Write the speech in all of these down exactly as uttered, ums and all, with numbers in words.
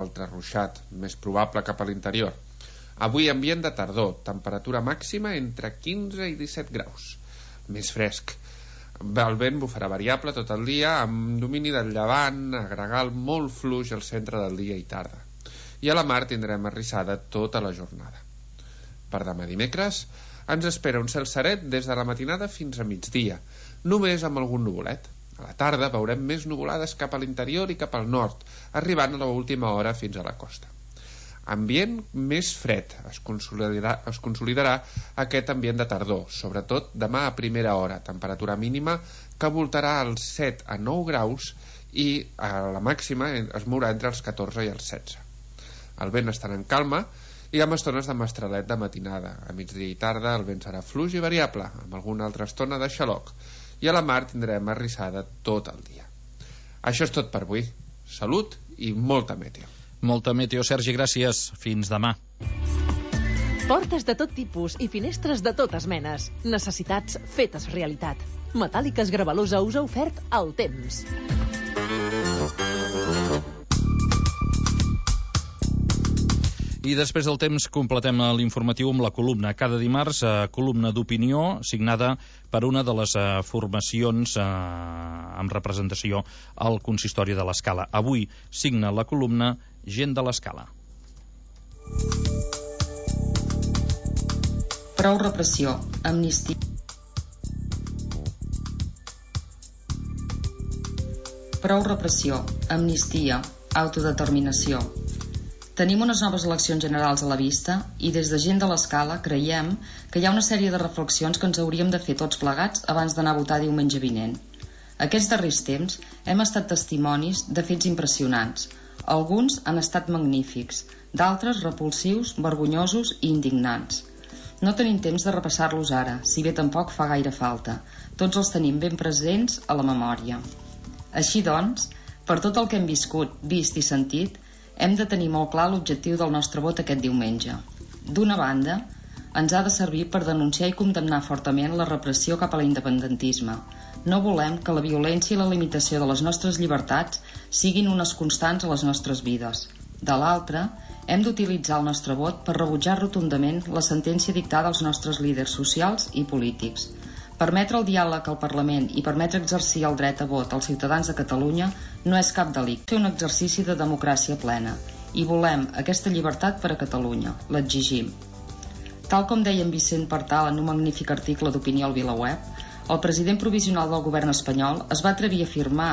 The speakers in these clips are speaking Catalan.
altre ruixat, més probable cap a l'interior. Avui ambient de tardor, temperatura màxima entre quinze i disset graus, més fresc. El vent bufarà variable tot el dia, amb domini del llevant, a gregal molt fluix al centre del dia i tarda. I a la mar tindrem arrissada tota la jornada. Per demà dimecres ens espera un cel seret des de la matinada fins a migdia, només amb algun nuvolet. A la tarda veurem més nuvolades cap a l'interior i cap al nord, arribant a l'última hora fins a la costa. Ambient més fred. Es consolidarà, es consolidarà aquest ambient de tardor, sobretot demà a primera hora, temperatura mínima que voltarà als set a nou graus i a la màxima es mourà entre els catorze i els setze. El vent estarà en calma i amb estones de mestralet de matinada. A migdia i tarda el vent serà fluix i variable, amb alguna altra estona de xaloc, i a la mar tindrem arrissada tot el dia. Això és tot per avui. Salut i molta meteo. Molta meteo, Sergi, gràcies. Fins demà. Portes de tot tipus i finestres de totes menes. Necessitats fetes realitat. Metàl·liques Gravalusa us ha ofert el temps. I després del temps completem l'informatiu amb la columna. Cada dimarts, eh, columna d'opinió signada per una de les eh, formacions eh, amb representació al consistori de l'Escala. Avui signa la columna Gent de l'Escala. Prou repressió, amnistia. Prou repressió, amnistia, autodeterminació. Tenim unes noves eleccions generals a la vista i des de Gent de l'Escala creiem que hi ha una sèrie de reflexions que ens hauríem de fer tots plegats abans d'anar a votar diumenge vinent. Aquests darrers temps hem estat testimonis de fets impressionants. Alguns han estat magnífics, d'altres repulsius, vergonyosos i indignants. No tenim temps de repassar-los ara, si bé tampoc fa gaire falta. Tots els tenim ben presents a la memòria. Així doncs, per tot el que hem viscut, vist i sentit, hem de tenir molt clar l'objectiu del nostre vot aquest diumenge. D'una banda, ens ha de servir per denunciar i condemnar fortament la repressió cap a l'independentisme. No volem que la violència i la limitació de les nostres llibertats siguin unes constants a les nostres vides. De l'altra, hem d'utilitzar el nostre vot per rebutjar rotundament la sentència dictada als nostres líders socials i polítics. Permetre el diàleg al Parlament i permetre exercir el dret a vot als ciutadans de Catalunya no és cap delicte, és un exercici de democràcia plena. I volem aquesta llibertat per a Catalunya. L'exigim. Tal com deia en Vicent Partal en un magnífic article d'opinió al VilaWeb, el president provisional del govern espanyol es va atrevir a afirmar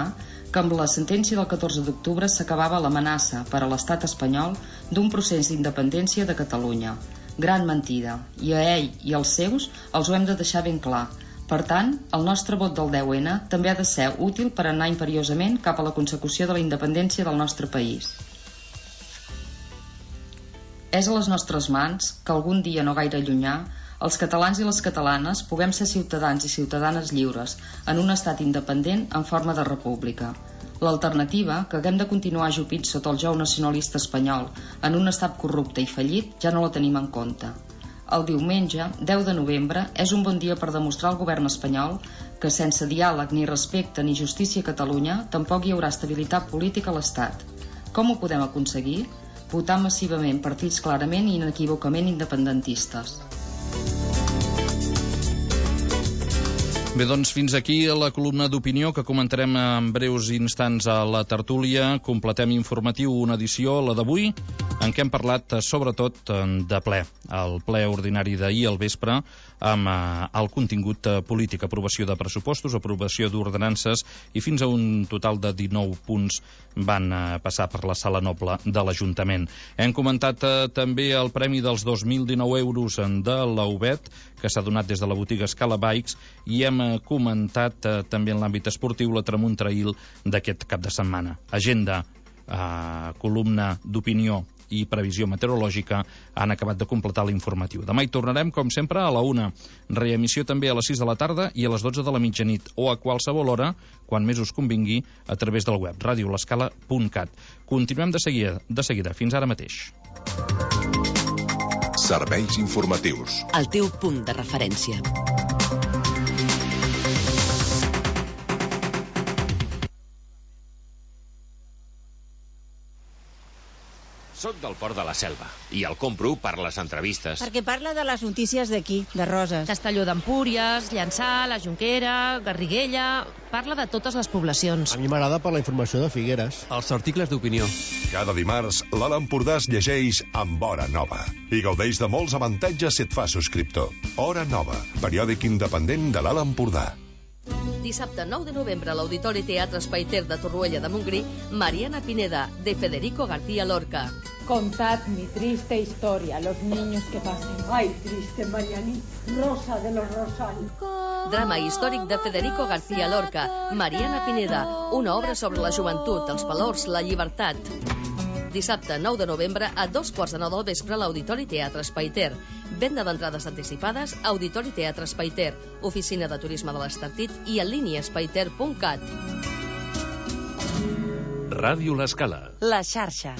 que amb la sentència del catorze d'octubre s'acabava l'amenaça per a l'estat espanyol d'un procés d'independència de Catalunya. Gran mentida. I a ell i als seus els ho hem de deixar ben clar. Per tant, el nostre vot del deu ene també ha de ser útil per anar imperiosament cap a la consecució de la independència del nostre país. És a les nostres mans que algun dia no gaire llunyà els catalans i les catalanes puguem ser ciutadans i ciutadanes lliures en un estat independent en forma de república. L'alternativa, que haguem de continuar ajupits sota el jou nacionalista espanyol en un estat corrupte i fallit, ja no la tenim en compte. El diumenge, deu de novembre, és un bon dia per demostrar al govern espanyol que sense diàleg ni respecte ni justícia a Catalunya tampoc hi haurà estabilitat política a l'Estat. Com ho podem aconseguir? Votant massivament partits clarament i inequívocament independentistes. Bé, doncs fins aquí la columna d'opinió que comentarem en breus instants a la tertúlia. Completem informatiu una edició, la d'avui, en què hem parlat sobretot de ple. El ple ordinari d'ahir al vespre amb el contingut polític, aprovació de pressupostos, aprovació d'ordenances i fins a un total de dinou punts van passar per la sala noble de l'Ajuntament. Hem comentat també el premi dels dos mil dinou euros de la U B E T que s'ha donat des de la botiga Scala Bikes i hem comentat eh, també en l'àmbit esportiu la Tramuntrail d'aquest cap de setmana. Agenda, eh, columna d'opinió i previsió meteorològica han acabat de completar l'informatiu. Demà hi tornarem, com sempre, a la una. Reemissió també a les sis de la tarda i a les dotze de la mitjanit o a qualsevol hora, quan més us convingui, a través del web ràdio l'escala punt cat. Continuem de seguida, de seguida. Fins ara mateix. Serveis informatius. El teu punt de referència. Soc del Port de la Selva i el compro per les entrevistes. Perquè parla de les notícies d'aquí, de Roses. Castelló d'Empúries, Llançà, la Jonquera, Garriguella... Parla de totes les poblacions. A mi m'agrada per la informació de Figueres. Els articles d'opinió. Cada dimarts, l'Alt Empordà es llegeix amb Hora Nova i gaudeix de molts avantatges si et fa subscriptor. Hora Nova, periòdic independent de l'Alt Empordà. Dissabte nou de novembre a l'Auditori Teatre Espaiter de Torroella de Montgrí, Mariana Pineda, de Federico García Lorca. Contad mi triste historia, los niños que pasen. Ay, triste Marianita, Rosa de los Rosales. Drama històric de Federico García Lorca, Mariana Pineda, una obra sobre la joventut, els valors, la llibertat. Dissabte nou de novembre a dos quarts de nou del vespre a l'Auditori Teatre Espaiter. Venda d'entrades anticipades, Auditori Teatre Espaiter, Oficina de Turisme de l'Estartit i en línia espaiter punt cat. Ràdio L'Escala. La xarxa.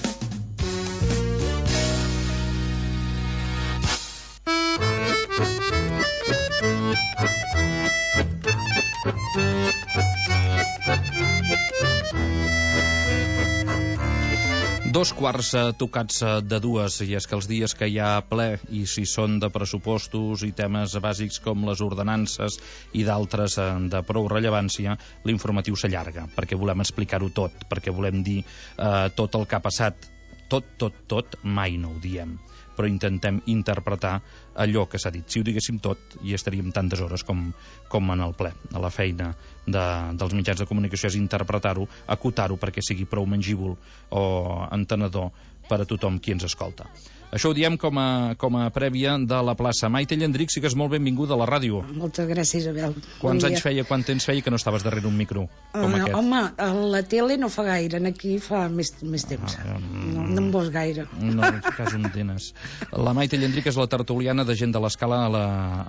Dos quarts tocats de dues, i és que els dies que hi ha ple, i si són de pressupostos i temes bàsics com les ordenances i d'altres de prou rellevància, l'informatiu s'allarga, perquè volem explicar-ho tot, perquè volem dir eh, tot el que ha passat. Tot, tot, tot, mai no ho diem, però intentem interpretar allò que s'ha dit. Si ho diguéssim tot, hi estaríem tantes hores com, com en el ple. A la feina de, dels mitjans de comunicació és interpretar-ho, acotar-ho perquè sigui prou mengíbul o entenedor per a tothom qui ens escolta. Això ho diem com a, com a prèvia de la plaça. Maite Llandric, sí que és molt benvinguda a la ràdio. Moltes gràcies, Abel. Quants bon anys feia, quant temps feia que no estaves darrere un micro com uh, aquest? Home, a la tele no fa gaire, aquí fa més, més temps. Ah, um, no, no em vols gaire. No, en cas un tenes. La Maite Llandric és la tertuliana de Gent de l'Escala a la,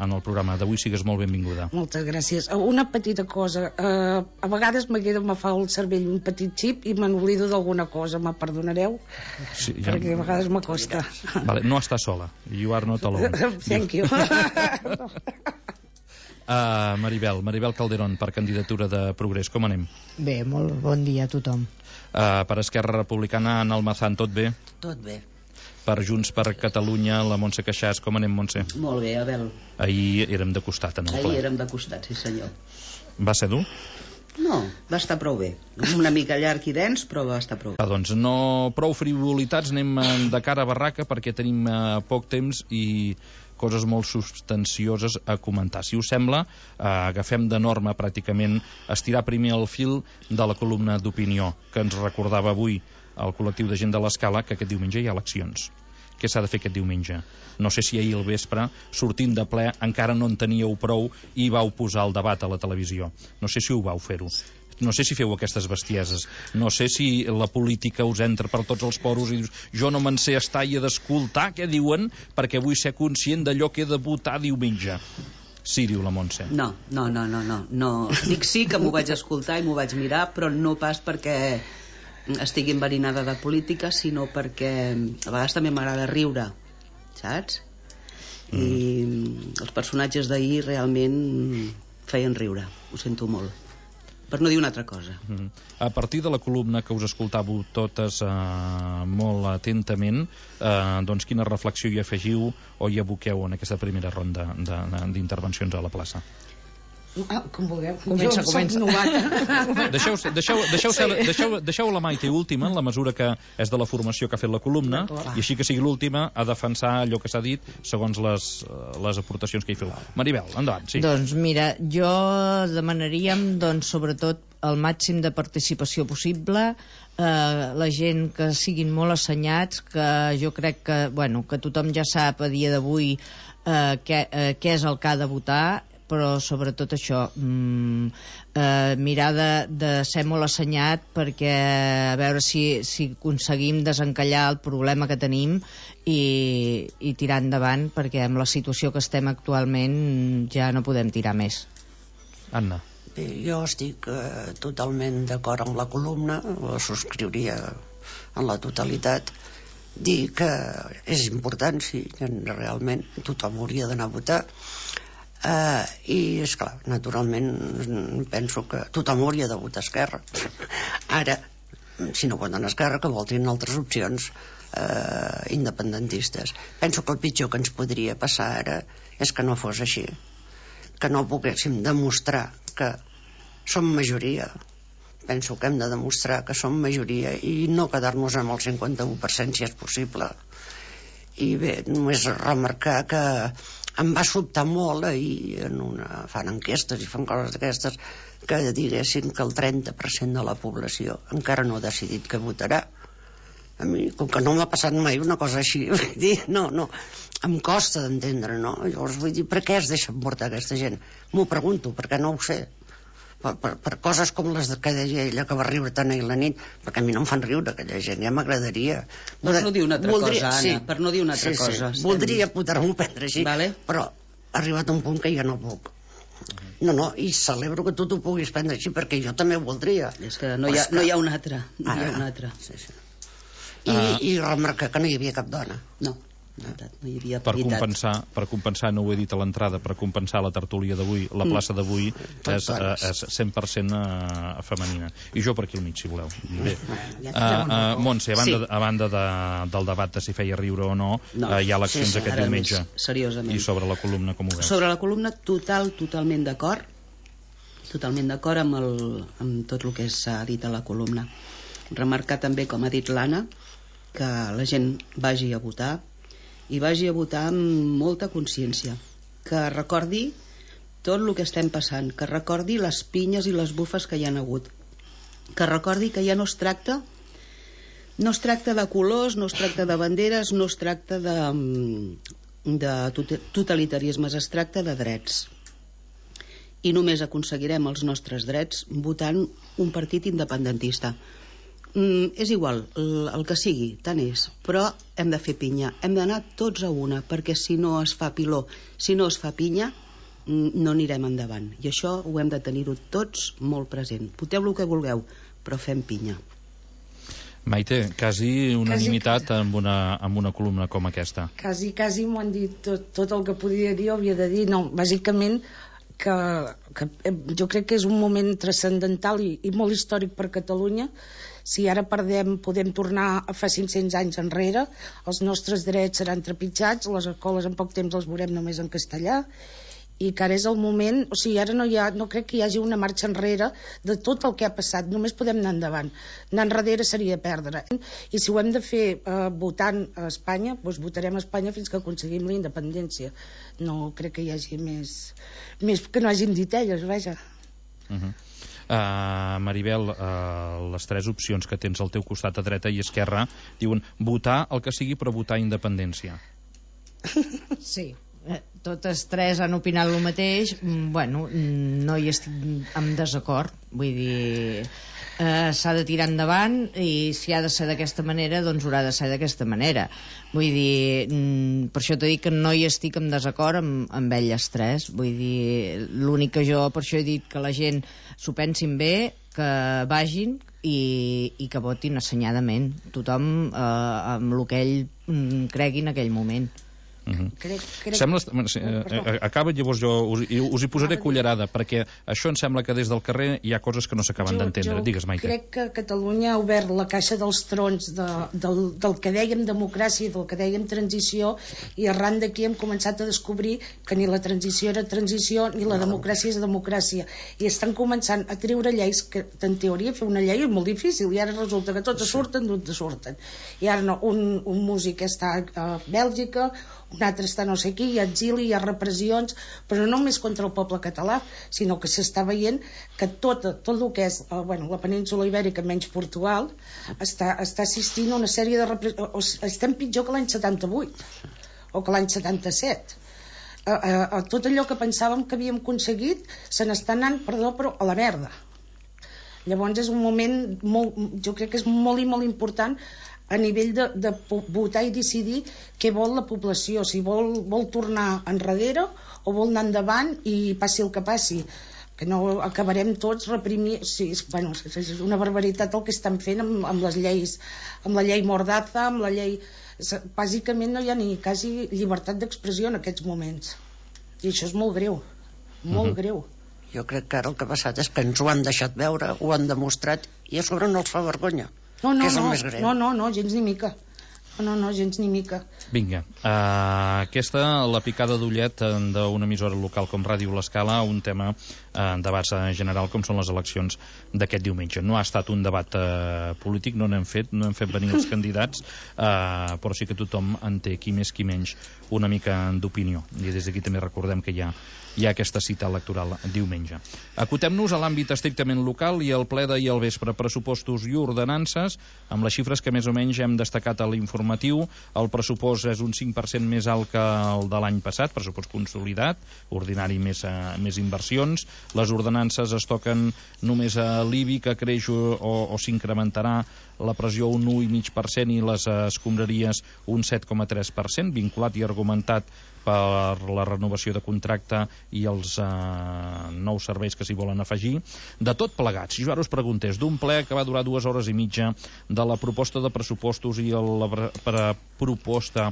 en el programa. D'avui sigues molt benvinguda. Moltes gràcies. Una petita cosa. Uh, a vegades me queda, me fa el cervell un petit xip i me n'oblido d'alguna cosa. Me perdonareu? Sí, ja... Perquè a vegades m'acosta. Vale, no està sola. You are not alone. Thank you. Uh, Maribel, Maribel Calderón, per candidatura de Progrés, com anem? Bé, molt bon dia a tothom. Uh, per Esquerra Republicana, Ana Almazán, tot bé? Tot bé. Per Junts per Catalunya, la Montse Queixàs, com anem, Montse? Molt bé, Abel. Ahir érem de costat en el ple. Ahir érem de costat, sí senyor. Va ser dur? No, va estar prou bé. Una mica llarg i dens, però va estar prou bé. Ah, doncs no prou frivolitats, anem de cara a barraca perquè tenim uh, poc temps i coses molt substancioses a comentar. Si us sembla, eh, agafem de norma pràcticament estirar primer el fil de la columna d'opinió que ens recordava avui el col·lectiu de Gent de l'Escala que aquest diumenge hi ha eleccions. Què s'ha de fer aquest diumenge? No sé si ahir al vespre, sortint de ple, encara no en teníeu prou i vau posar el debat a la televisió. No sé si ho vau fer-ho. No sé si feu aquestes bestieses. No sé si la política us entra per tots els poros i dius, jo no me'n sé estar i he d'escoltar què diuen perquè vull ser conscient d'allò que he de votar diumenge. Sí, diu la Montse. No, no, no, no, no. no. Dic sí que m'ho vaig escoltar i m'ho vaig mirar, però no pas perquè estigui enverinada de política, sinó perquè a vegades també m'agrada riure, saps? Mm. I els personatges d'ahir realment feien riure, ho sento molt, per no dir una altra cosa. Mm. A partir de la columna que us escoltàveu totes eh, molt atentament, eh, doncs quina reflexió hi afegiu o hi aboqueu en aquesta primera ronda d'intervencions a la plaça? Ah, com vulgueu. Comença, jo comença. Deixeu, deixeu, deixeu, sí. deixeu, deixeu la Maite última, en la mesura que és de la formació que ha fet la columna, i així que sigui l'última a defensar allò que s'ha dit segons les, les aportacions que hi feu. Maribel, endavant, sí. Doncs mira, jo demanaríem, doncs, sobretot el màxim de participació possible, eh, la gent que siguin molt assenyats, que jo crec que, bueno, que tothom ja sap a dia d'avui eh, què, eh, què és el que ha de votar, però sobretot això, mm, eh, mirar de, de ser molt assenyat perquè a veure si, si aconseguim desencallar el problema que tenim i, i tirar endavant, perquè amb la situació que estem actualment ja no podem tirar més. Anna. Bé, jo estic eh, totalment d'acord amb la columna, la subscriuria en la totalitat. Dir que és important, sí, que realment tothom hauria d'anar a votar. Uh, i esclar, naturalment penso que tothom hauria de votar Esquerra. Ara, si no voten Esquerra, que votin altres opcions, eh, independentistes. Penso que el pitjor que ens podria passar ara és que no fos així, que no poguéssim demostrar que som majoria. Penso que hem de demostrar que som majoria i no quedar-nos amb el cinquanta-u per cent si és possible. I bé, només remarcar que em va sobtar molt ahir en una, fan enquestes i fan coses d'aquestes que diguessin que el trenta per cent de la població encara no ha decidit que votarà. A mi, com que no m'ha passat mai una cosa així, vull dir, no, no, em costa d'entendre, no? Llavors vull dir, per què es deixen portar aquesta gent? M'ho pregunto, perquè no ho sé. Per, per, per coses com les que deia ella, que va riure tant ahir la nit, perquè a mi no em fan riure aquella gent, ja m'agradaria. Per no dir una altra voldria, cosa, Anna, sí, per no dir una altra sí, cosa. Sí, voldria poder-m'ho prendre així, vale. Però ha arribat un punt que ja no puc. No, no, i celebro que tu t'ho puguis prendre així, perquè jo també ho voldria. És que no hi ha, no hi ha un altre, no hi ha un altre. Sí, sí. I, uh, I remarcar que no hi havia cap dona. No. No hi havia per compensar, per compensar, no ho he dit a l'entrada, per compensar la tertúlia d'avui, la plaça d'avui és, és cent per cent femenina. I jo per aquí al mig, si voleu. Bé. Uh, uh, Montse, a banda, sí. a banda de, del debat de si feia riure o no, no. Uh, hi ha eleccions sí, sí, aquest diumenge. Seriosament. I sobre la columna, com ho veus? Sobre la columna, total, totalment d'acord. Totalment d'acord amb, el, amb tot el que s'ha dit a la columna. Remarcar també, com ha dit l'Anna, que la gent vagi a votar i vagi a votar amb molta consciència, que recordi tot el que estem passant, que recordi les pinyes i les bufes que hi han hagut, que recordi que ja no es tracta no es tracta de colors, no es tracta de banderes, no es tracta de, de totalitarismes, es tracta de drets, i només aconseguirem els nostres drets votant un partit independentista. Mm, és igual, el, el que sigui, tant és, però hem de fer pinya, hem d'anar tots a una, perquè si no es fa piló, si no es fa pinya, no anirem endavant, i això ho hem de tenir-ho tots molt present. Voteu el que vulgueu, però fem pinya. Maite, quasi unanimitat quasi, amb, una, amb una columna com aquesta. Quasi, quasi m'ho han dit tot, tot el que podia dir, havia de dir, no, bàsicament que, que jo crec que és un moment transcendental i, i molt històric per Catalunya. Si ara perdem, podem tornar a fa cinc-cents anys enrere, els nostres drets seran trepitjats, les escoles en poc temps les veurem només en castellà, i que ara és el moment, o sigui, ara no, hi ha, no crec que hi hagi una marxa enrere de tot el que ha passat, només podem anar endavant. Anar enrere seria perdre. I si ho hem de fer eh, votant a Espanya, doncs votarem a Espanya fins que aconseguim la independència. No crec que hi hagi més, més que no hagin dit elles, vaja. Uh-huh. Uh, Maribel, uh, les tres opcions que tens al teu costat a dreta i esquerra diuen votar el que sigui però votar independència. Sí, totes tres han opinat el mateix. Bueno, no hi estic en desacord, vull dir, eh, s'ha de tirar endavant i si ha de ser d'aquesta manera doncs haurà de ser d'aquesta manera, vull dir, per això t'he dit que no hi estic en desacord amb, amb elles tres, vull dir, l'únic que jo per això he dit que la gent s'ho pensin bé, que vagin i, i que votin assenyadament tothom eh, amb el que ell mm, cregui en aquell moment. Uh-huh. crec, crec... Sembla, eh, acaba, llavors jo us, us hi posaré cullerada, perquè això em sembla que des del carrer hi ha coses que no s'acaben d'entendre. Digues, Maite. Crec que Catalunya ha obert la caixa dels trons de, del, del que dèiem democràcia, del que dèiem transició, i arran d'aquí hem començat a descobrir que ni la transició era transició ni la democràcia és democràcia, i estan començant a treure lleis que en teoria fer una llei és molt difícil i ara resulta que tots surten d'on surten, i ara no, un, un músic està a Bèlgica, un altre està no sé qui, hi ha exili, hi ha repressions, però no només contra el poble català, sinó que s'està veient que tot, tot el que és eh, bueno, la península ibèrica menys Portugal està, està assistint a una sèrie de repressions. Estem pitjor que l'any setanta-vuit o que l'any setanta-set. Eh, eh, tot allò que pensàvem que havíem aconseguit se n'està anant, perdó, però a la merda. Llavors és un moment molt, jo crec que és molt i molt important a nivell de, de votar i decidir què vol la població, si vol, vol tornar enrere o vol anar endavant i passi el que passi, que no acabarem tots reprimint. Sí, és, bueno, és una barbaritat el que estan fent amb, amb les lleis, amb la llei Mordaza, amb la llei... Bàsicament no hi ha ni quasi llibertat d'expressió en aquests moments, i això és molt greu, molt uh-huh. greu. Jo crec que ara el que ha passat és que ens ho han deixat veure, ho han demostrat, i a sobre no els fa vergonya. No, no, que és el no, més greu. no, no, no, gens ni mica. No, no, gens ni mica. Vinga, uh, aquesta, la picada d'ullet d'una emissora local com Ràdio L'Escala, un tema uh, en debat general com són les eleccions d'aquest diumenge. No ha estat un debat uh, polític, no n'hem fet, no hem fet venir els candidats, uh, però sí que tothom en té, qui més qui menys, una mica d'opinió. I des d'aquí també recordem que hi ha, hi ha aquesta cita electoral diumenge. Acotem-nos a l'àmbit estrictament local i el ple d'ahir al vespre, pressupostos i ordenances, amb les xifres que més o menys hem destacat a l'informatiu. El pressupost és un cinc per cent més alt que el de l'any passat, pressupost consolidat, ordinari més, uh, més inversions. Les ordenances es toquen només a l'I B I, que creix o, o s'incrementarà la pressió un u coma cinc per cent i les escombraries un set coma tres per cent, vinculat i argumentat per la renovació de contracte i els eh, nous serveis que s'hi volen afegir. De tot plegats, si jo ara us preguntés d'un ple que va durar dues hores i mitja, de la proposta de pressupostos i la proposta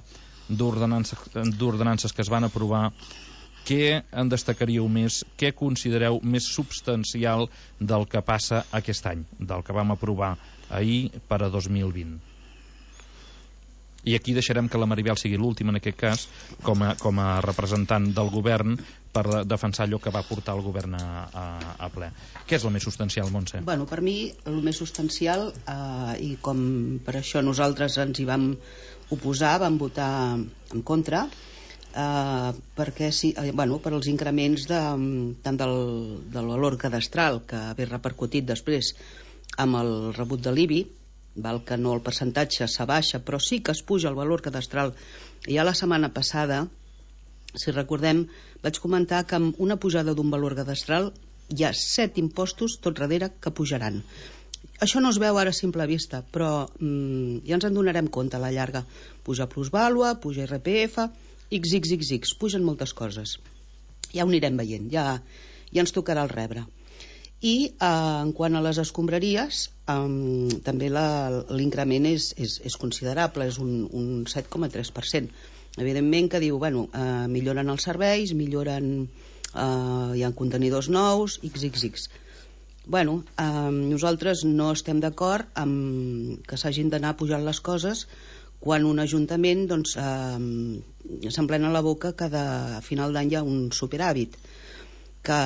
d'ordenances que es van aprovar, què en destacaríeu més? Què considereu més substancial del que passa aquest any, del que vam aprovar ahir per a dos mil vint? I aquí deixarem que la Maribel sigui l'última en aquest cas, com a, com a representant del govern, per defensar allò que va portar el govern a, a, a ple. Què és el més substancial, Montse? Bueno, per mi el més substancial, eh, i com per això nosaltres ens hi vam oposar, vam votar en contra, eh, perquè sí, eh, bueno, per als increments de, tant del, del valor cadastral, que ve repercutit després amb el rebut de l'I B I, val que no el percentatge s'abaixa, però sí que es puja el valor cadastral. I ja la setmana passada, si recordem, vaig comentar que amb una pujada d'un valor cadastral hi ha set impostos tot darrere que pujaran. Això no es veu ara a simple vista, però mm, ja ens en donarem compte a la llarga. Puja plusvàlua, puja I R P F, X X X X, pugen moltes coses. Ja ho anirem veient, ja, ja ens tocarà el rebre. I eh, en quant a les escombraries, eh, també l'increment és, és, és considerable, és un, un set coma tres per cent. Evidentment que diu, bueno, eh, milloren els serveis, milloren, eh, hi ha contenidors nous, X X X. Bueno, eh, nosaltres no estem d'acord amb que s'hagin d'anar pujant les coses quan un ajuntament doncs, eh, s'emplena la boca que de, a final d'any hi ha un superàvit, que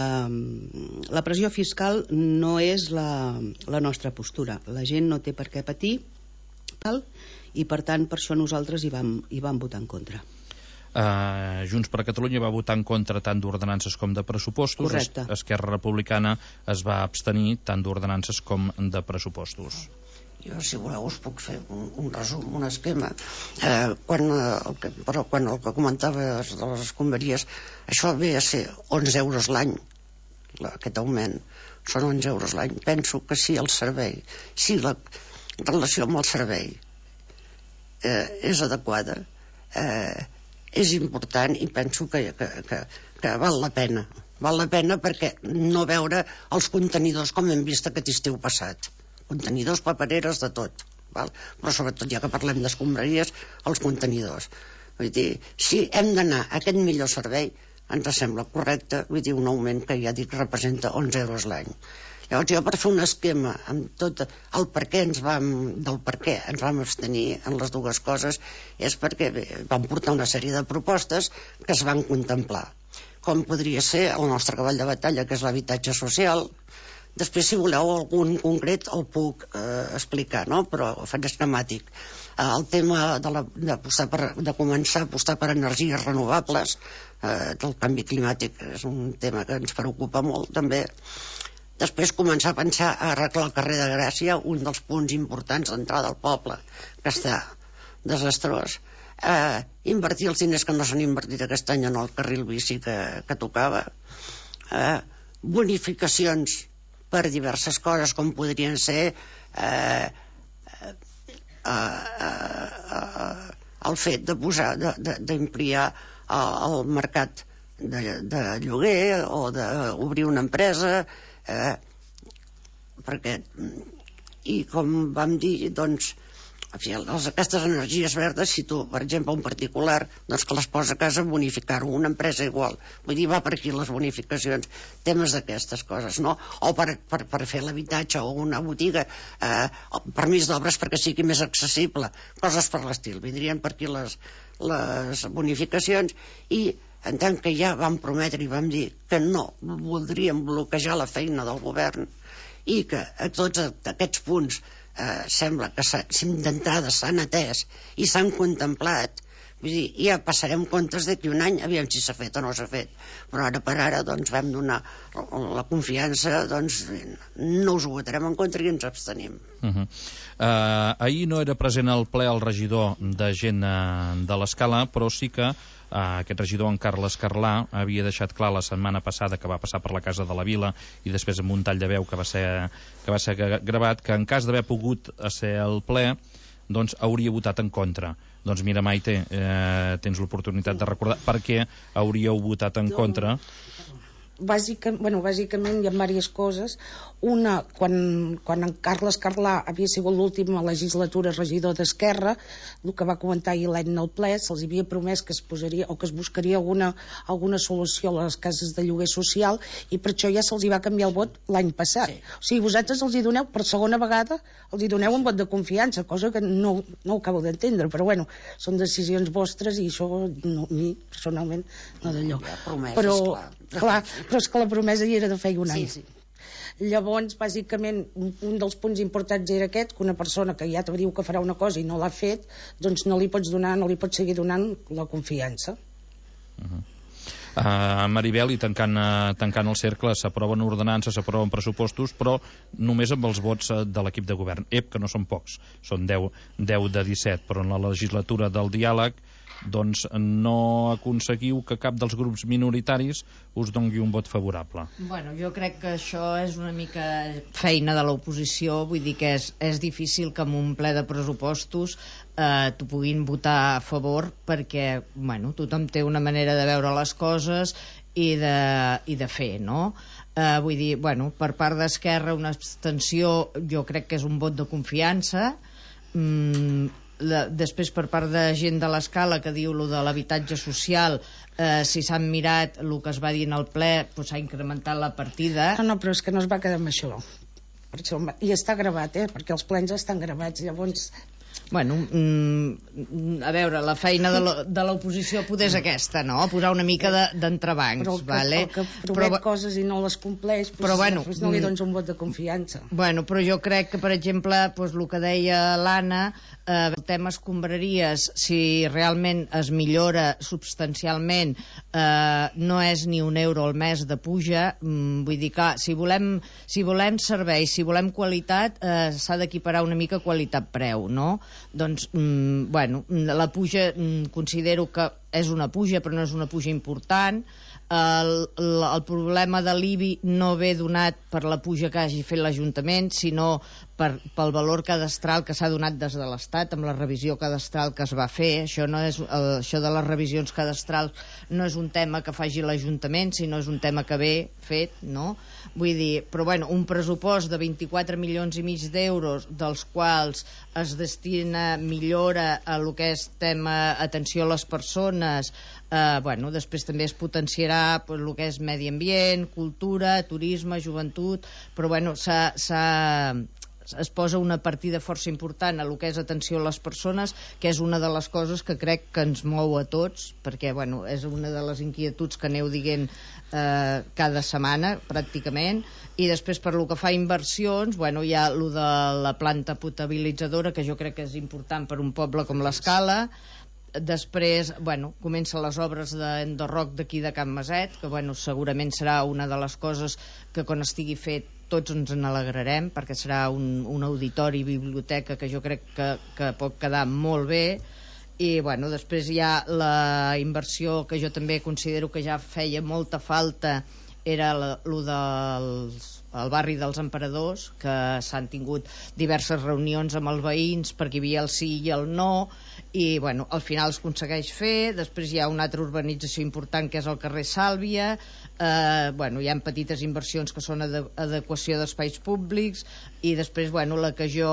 la pressió fiscal no és la, la nostra postura. La gent no té per què patir, tal, i per tant per això nosaltres hi vam, hi vam votar en contra. Uh, Junts per Catalunya va votar en contra tant d'ordenances com de pressupostos. Correcte. Es, Esquerra Republicana es va abstenir tant d'ordenances com de pressupostos. Jo, si voleu, us puc fer un, un resum, un esquema. Eh, quan, el que, però quan el que comentaves de les escombraries, això ve a ser onze euros l'any, aquest augment. Són onze euros l'any. Penso que si el servei, si la relació amb el servei eh, és adequada, eh, és important i penso que, que, que, que val la pena. Val la pena perquè no veure els contenidors com hem vist aquest estiu passat. Contenidors, papereres, de tot, val? Però sobretot, ja que parlem d'escombraries, els contenidors. Vull dir, si hem d'anar a aquest millor servei, ens sembla correcte, vull dir, un augment que ja dic representa onze euros l'any. Llavors, jo per fer un esquema amb tot el per què ens vam, del per què ens vam abstenir en les dues coses, és perquè bé, vam portar una sèrie de propostes que es van contemplar, com podria ser el nostre cavall de batalla, que és l'habitatge social. Després, si voleu algun concret, el puc eh, explicar, no? Però ho faig esquemàtic. Eh, el tema de, la, de, per, de començar a apostar per energies renovables, eh, del canvi climàtic, és un tema que ens preocupa molt, també. Després, començar a pensar a arreglar el carrer de Gràcia, un dels punts importants d'entrada al poble, que està desastrós. Eh, invertir els diners que no s'han invertit aquest any en el carril bici que, que tocava. Eh, bonificacions per diverses coses, com podrien ser eh, eh, eh, eh, el fet de posar, d'ampliar el mercat de, de lloguer o d'obrir una empresa, eh, perquè, i com vam dir, doncs, en fi, les, aquestes energies verdes, si tu, per exemple, un particular, doncs que les posa a casa bonificar-ho, una empresa igual. Vull dir, va per aquí les bonificacions, temes d'aquestes coses, no? O per, per, per fer l'habitatge o una botiga, eh, permís d'obres perquè sigui més accessible, coses per l'estil. Vindrien per aquí les, les bonificacions i en tant que ja vam prometre i vam dir que no voldríem bloquejar la feina del govern i que a tots aquests punts eh, sembla que d'entrada s'han atès i s'han contemplat, vull dir, ja passarem comptes d'aquí un any, aviam si s'ha fet o no s'ha fet, però ara per ara doncs vam donar la confiança, doncs no us ho votarem en contra i ens abstenim. Uh -huh. uh, ahir no era present al ple el regidor de gent uh, de l'Escala, però sí que Uh, aquest regidor, en Carles Carlà, havia deixat clar la setmana passada, que va passar per la Casa de la Vila i després amb un tall de veu que va ser, que va ser gravat, que en cas d'haver pogut ser al ple, doncs hauria votat en contra. Doncs mira, Maite, eh, tens l'oportunitat de recordar per què hauríeu votat en contra. Bàsicament, bueno, bàsicament hi ha diverses coses. Una, quan, quan en Carles Carlà havia sigut l'última legislatura regidor d'Esquerra, el que va comentar ahir l'any al ple, se'ls havia promès que es posaria o que es buscaria alguna, alguna solució a les cases de lloguer social i per això ja se'ls hi va canviar el vot l'any passat. Sí. O sigui, vosaltres els hi doneu per segona vegada, els hi doneu un vot de confiança, cosa que no, no ho acabo d'entendre, però bueno, són decisions vostres i això no, a mi personalment no d'allò. Promeses, però, clar. clar, però és que la promesa hi era de feia un any. Sí, sí. Llavors, bàsicament, un, un dels punts importants era aquest, que una persona que ja te diu que farà una cosa i no l'ha fet, doncs no li pots donar, no li pots seguir donant la confiança. Uh -huh. Uh, Maribel, i tancant, uh, tancant el cercle, s'aproven ordenances, s'aproven pressupostos, però només amb els vots uh, de l'equip de govern. Ep, que no són pocs, són deu de disset, però en la legislatura del diàleg doncs no aconseguiu que cap dels grups minoritaris us doni un vot favorable. Bueno, jo crec que això és una mica feina de l'oposició, vull dir que és, és difícil que en un ple de pressupostos eh, t'ho puguin votar a favor perquè, bueno, tothom té una manera de veure les coses i de, i de fer, no? Eh, vull dir, bueno, per part d'Esquerra una abstenció jo crec que és un vot de confiança. mm, La, després per part de gent de l'Escala que diu lo de l'habitatge social, eh, si s'han mirat el que es va dir en el ple, doncs s'ha incrementat la partida. No, no, però és que no es va quedar amb això, per això i està gravat, eh, perquè els plens estan gravats, llavors Bueno, mm, a veure, la feina de l'oposició poder és aquesta, no? Posar una mica d'entrebancs, però que, vale? el que promet però, coses i no les compleix, doncs, però, bueno, doncs no li dones un vot de confiança. Bueno, però jo crec que, per exemple, doncs, el que deia l'Anna, eh, el tema escombraries, si realment es millora substancialment, eh, no és ni un euro al mes de puja, mm, vull dir que si volem, si volem serveis, si volem qualitat, eh, s'ha d'equiparar una mica qualitat-preu, no? Doncs, mm, bueno, la puja mm, considero que és una puja, però no és una puja important. El, el, el problema de l'I B I no ve donat per la puja que hagi fet l'Ajuntament, sinó per, pel valor cadastral que s'ha donat des de l'Estat amb la revisió cadastral que es va fer. Això, no és, el, això de les revisions cadastrals no és un tema que faci l'Ajuntament, sinó és un tema que ve fet, no? Vull dir, però bueno, un pressupost de vint-i-quatre milions i mig d'euros, dels quals es destina millora a lo que és tema atenció a les persones, eh, bueno, després també es potenciarà pues, el que és medi ambient, cultura, turisme, joventut, però bueno, s'ha... s'ha es posa una partida força important a lo que és atenció a les persones, que és una de les coses que crec que ens mou a tots, perquè bueno, és una de les inquietuds que aneu dient eh, cada setmana pràcticament. I després per lo que fa a inversions, bueno, hi ha lo de la planta potabilitzadora, que jo crec que és important per un poble com l'Escala. Després, bueno, comencen les obres d'Enderroc d'aquí de Can Maset, que bueno, segurament serà una de les coses que quan estigui fet tots ens n'alegrarem, perquè serà un, un auditori i biblioteca que jo crec que, que pot quedar molt bé. I bueno, després hi ha la inversió que jo també considero que ja feia molta falta, era el de al barri dels Emperadors, que s'han tingut diverses reunions amb els veïns perquè hi havia el sí i el no, i bueno, al final es aconsegueix fer. Després hi ha una altra urbanització important que és el carrer Sàlvia. Eh, bueno, hi ha petites inversions que són ade adequació d'espais públics, i després, bueno, la que jo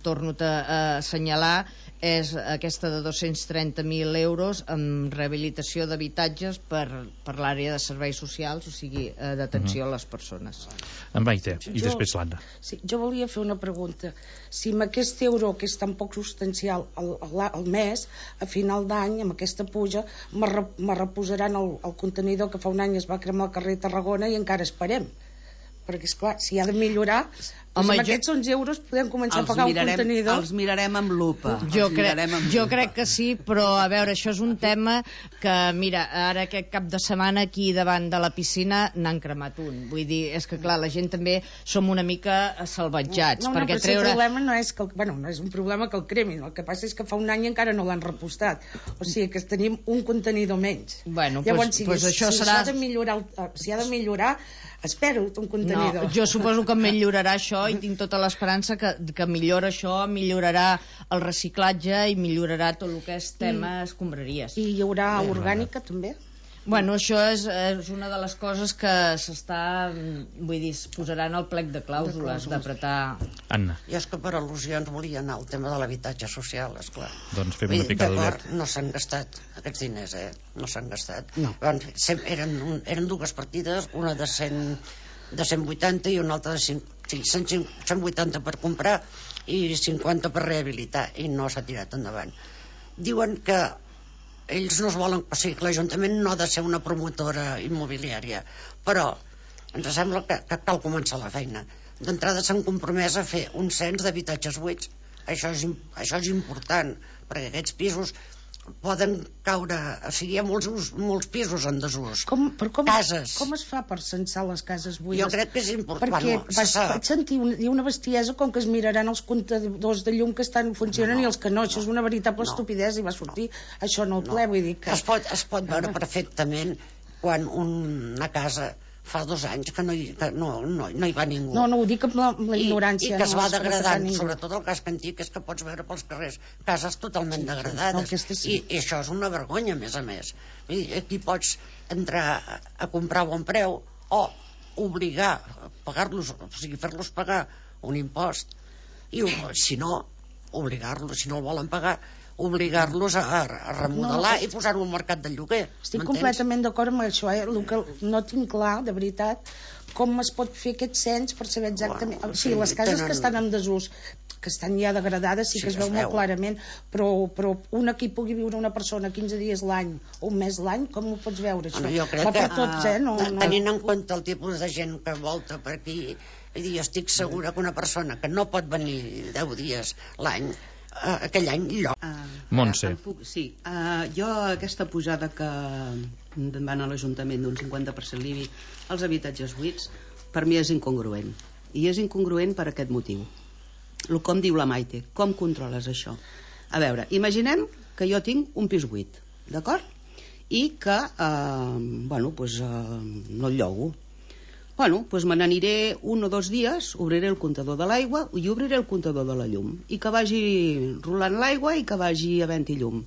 torno a assenyalar és aquesta de dos-cents trenta mil euros amb rehabilitació d'habitatges per, per l'àrea de serveis socials, o sigui, eh, d'atenció a les persones. En Maite, i jo, després l'Anna. Sí, jo volia fer una pregunta. Si amb aquest euro, que és tan poc substancial al, al mes, a final d'any, amb aquesta puja, me, re, me reposaran el, el contenidor que fa un any es va cremar al carrer Tarragona i encara esperem. Perquè, esclar, si ha de millorar, doncs amb aquests onze euros podem començar a pagar mirarem, un contenidor. Els mirarem amb lupa. Jo, crec, amb jo lupa. crec que sí, però a veure, això és un tema que, mira, ara aquest cap de setmana aquí davant de la piscina n'han cremat un. Vull dir, és que clar, la gent també som una mica salvatjats. No, no, perquè però treure... el problema no és, que el, bueno, no és un problema que el cremin, el que passa és que fa un any encara no l'han repostat. O sigui que tenim un contenidor menys. Bueno, llavors, pues, si, pues això si serà... s'ha de millorar, si ha de millorar, espero un contenidor. No, jo suposo que millorarà això i tinc tota l'esperança que, que millora això, millorarà el reciclatge i millorarà tot el que és tema I, escombraries. I hi haurà orgànica també? Bueno, això és, és una de les coses que s'està, vull dir, es posaran al plec de clàusules, d'apretar... Anna. Jo és que per al·lusions volia anar al tema de l'habitatge social, esclar. Doncs fem una picada d'ulet. No s'han gastat aquests diners, eh? No s'han gastat. No. Eren, eren dues partides, una de cent, de cent vuitanta i una altra de cinc, sí, cent vuitanta per comprar i cinquanta per rehabilitar, i no s'ha tirat endavant. Diuen que ells no es volen, o sigui, que l'Ajuntament no ha de ser una promotora immobiliària, però ens sembla que, que cal començar la feina. D'entrada s'han compromès a fer un cens d'habitatges buits. Això és, això és important, perquè aquests pisos poden caure, o sigui, hi ha molts, molts pisos en desús. Com, com, cases. Com es fa per censar les cases buides? Jo crec que és important. Perquè bueno, vaig, vaig sentir una, una bestiesa com que es miraran els comptadors de llum que estan funcionen no, no, i els que no. Això no, és una veritable no, estupidesa i va sortir no, això no el ple, no. Vull dir que... Es pot, es pot veure perfectament quan una casa fa dos anys que no hi, que no, no, no hi va ningú. No, no ho dic amb la, amb la ignorància. I, i que es no, va degradant, sobretot el casc antic, és que pots veure pels carrers cases totalment degradades. No, sí. I, I això és una vergonya, a més a més. I aquí pots entrar a, a comprar a bon preu o obligar a pagar-los, o sigui, fer-los pagar un impost. I si no, obligar-los, si no el volen pagar, obligar-los a, a remodelar no, i posar-ho al mercat del lloguer. Estic completament d'acord amb això, eh? El que no tinc clar, de veritat, com es pot fer aquest cens per saber exactament... Bueno, o sigui, les cases tenen... que estan en desús, que estan ja degradades, sí, sí que es veu molt clarament, però, però una que hi pugui viure una persona quinze dies l'any o un mes l'any, com ho pots veure, això? Bueno, jo crec va per que, tots, eh? No, no... Tenint en compte el tipus de gent que volta per aquí, jo estic segura que una persona que no pot venir deu dies l'any, uh, aquell any lloc. Uh, Montse. Puc, sí, uh, jo aquesta pujada que van a l'Ajuntament d'un cinquanta per cent l'I B I als habitatges buits, per mi és incongruent. I és incongruent per aquest motiu. El com diu la Maite, com controles això? A veure, imaginem que jo tinc un pis buit, d'acord? I que, eh, bueno, pues, eh, no el llogo. Bueno, doncs me n'aniré un o dos dies, obriré el comptador de l'aigua i obriré el comptador de la llum. I que vagi rolant l'aigua i que vagi havent-hi llum.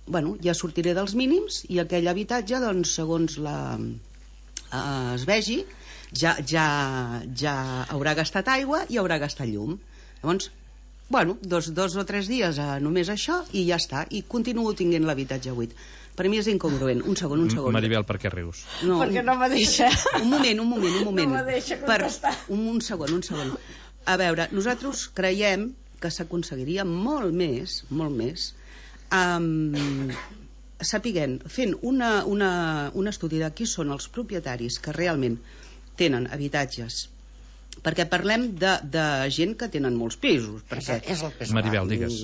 Bueno, ja sortiré dels mínims i aquell habitatge, doncs, segons la, eh, es vegi, ja, ja, ja haurà gastat aigua i haurà gastat llum. Llavors, bueno, dos, dos o tres dies a només això i ja està. I continuo tinguent l'habitatge buit. Per mi és incongruent. Un segon, un segon. Maribel, per què rius? No, perquè no me deixa. Un moment, un moment, un moment. No me deixa contestar. Per, un, un segon, un segon. A veure, nosaltres creiem que s'aconseguiria molt més, molt més, um, sapiguent, fent una, una, un estudi de qui són els propietaris que realment tenen habitatges perquè parlem de, de gent que tenen molts pisos. Perquè... És el pes Maribel, digues.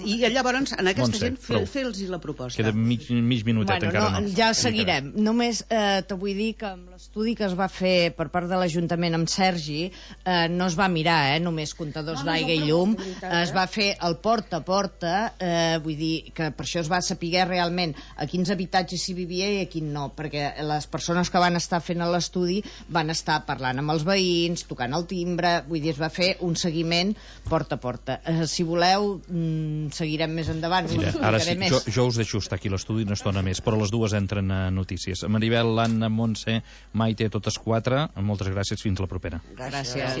I llavors, en aquesta Montse, gent, fer, fer-los la proposta. Queda mig, mig minutet, bueno, encara no. no. Ja seguirem. Només eh, te vull dir que amb l'estudi que es va fer per part de l'Ajuntament amb Sergi, eh, no es va mirar, eh, només comptadors No, no, d'aigua no, i llum, eh? es va fer el porta a porta, eh, vull dir que per això es va saber realment a quins habitatges s'hi vivia i a quin no, perquè les persones que van estar fent l'estudi van estar parlant amb els veïns, tocant el timbre, vull dir, es va fer un seguiment porta a porta. Eh, si voleu, mm, seguirem més endavant. Mira, ara sí, jo, jo us deixo estar aquí a l'estudi una estona més, però les dues entren a notícies. Maribel, Anna, Montse, Maite, totes quatre, moltes gràcies, fins la propera. Gràcies.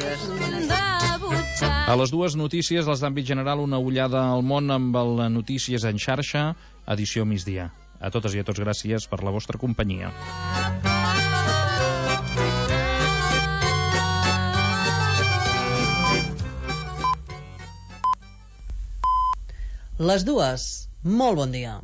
A les dues notícies, les d'àmbit general, una ullada al món amb el Notícies en xarxa, edició migdia. A totes i a tots, gràcies per la vostra companyia. Les dues. Molt bon dia.